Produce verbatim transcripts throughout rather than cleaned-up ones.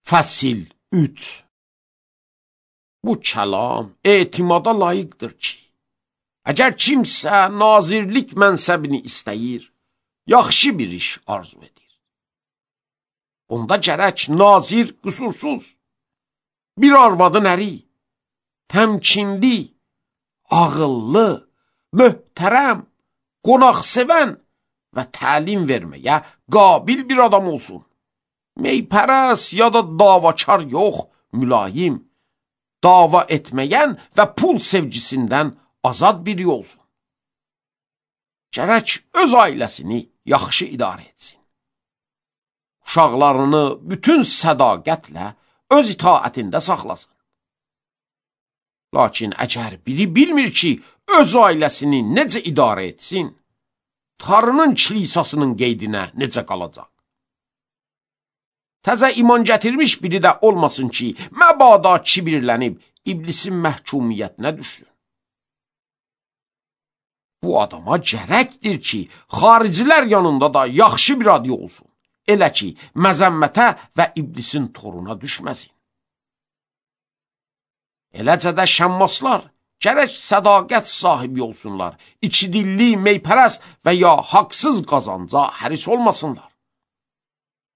Fəsil üç. Bu kəlam etimada layiqdir ki, əgər kimsə nazirlik mənsəbini istəyir, yaxşı bir iş arzu edir. Onda gərək nazir qüsursuz, bir arvadın əri, təmkinli, ağıllı, möhtərəm, qonaqsevən və təlim verməyə qabil bir adam olsun. Meypərəs ya da davakar yox, mülayim, dava etməyən və pul sevgisindən azad biri olsun. Gərək öz ailəsini yaxşı idarə etsin. Uşaqlarını bütün sədaqətlə öz itaətində saxlasın. Lakin əgər biri bilmir ki, öz ailəsini necə idarə etsin, Tanrının kilisasının qeydinə necə qalacaq? Təzə iman gətirmiş biri də olmasın ki, məbada kibirlənib iblisin məhkumiyyətinə düşsün. Bu adama gərəkdir ki, xaricilər yanında da yaxşı bir adı olsun. Elə ki, məzəmmətə və iblisin toruna düşməsin. Eləcə də şəmmaslar gərək sədaqət sahibi olsunlar, içidilli, meypərəst və ya haqsız qazanca həris olmasınlar.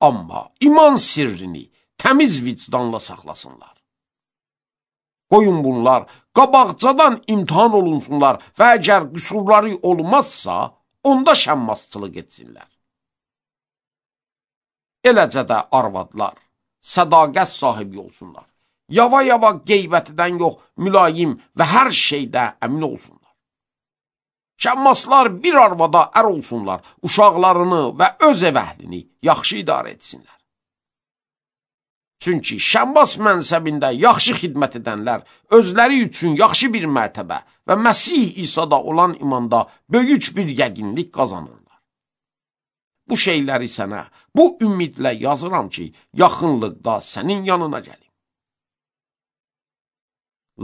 Amma iman sirrini təmiz vicdanla saxlasınlar. Qoyun bunlar qabaqcadan imtihan olunsunlar və əgər qüsurları olmazsa, onda şəmmasçılıq etsinlər. Eləcə də arvadlar sədaqət sahibi olsunlar. Yava-yava qeybətidən yox, mülayim və hər şeydə əmin olsunlar. Şəmmaslar bir arvada ər olsunlar, uşaqlarını və öz ev əhlini yaxşı idarə etsinlər. Çünki şəmmas mənsəbində yaxşı xidmət edənlər özləri üçün yaxşı bir mərtəbə və Məsih İsa'da olan imanda böyük bir yəqinlik qazanırlar. Bu şeyləri sənə bu ümidlə yazıram ki, yaxınlıqda sənin yanına gəlim.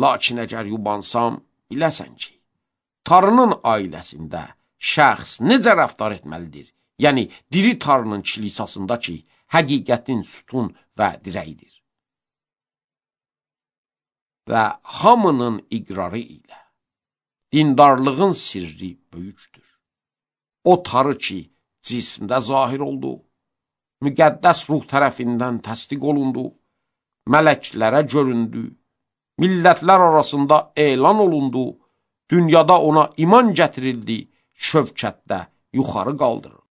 Lakin əgər yubansam, biləsən ki, Tanrının ailəsində şəxs necə rəftar etməlidir? Yəni, diri Tanrının kilisasında ki, həqiqətin sütun və dirəyidir. Və hamının iqrarı ilə dindarlığın sirri böyükdür. O Tanrı ki, cismdə zahir oldu, müqəddəs ruh tərəfindən təsdiq olundu, mələklərə göründü, millətlər arasında elan olundu, dünyada ona iman gətirildi, şövkətdə yuxarı qaldırıldı.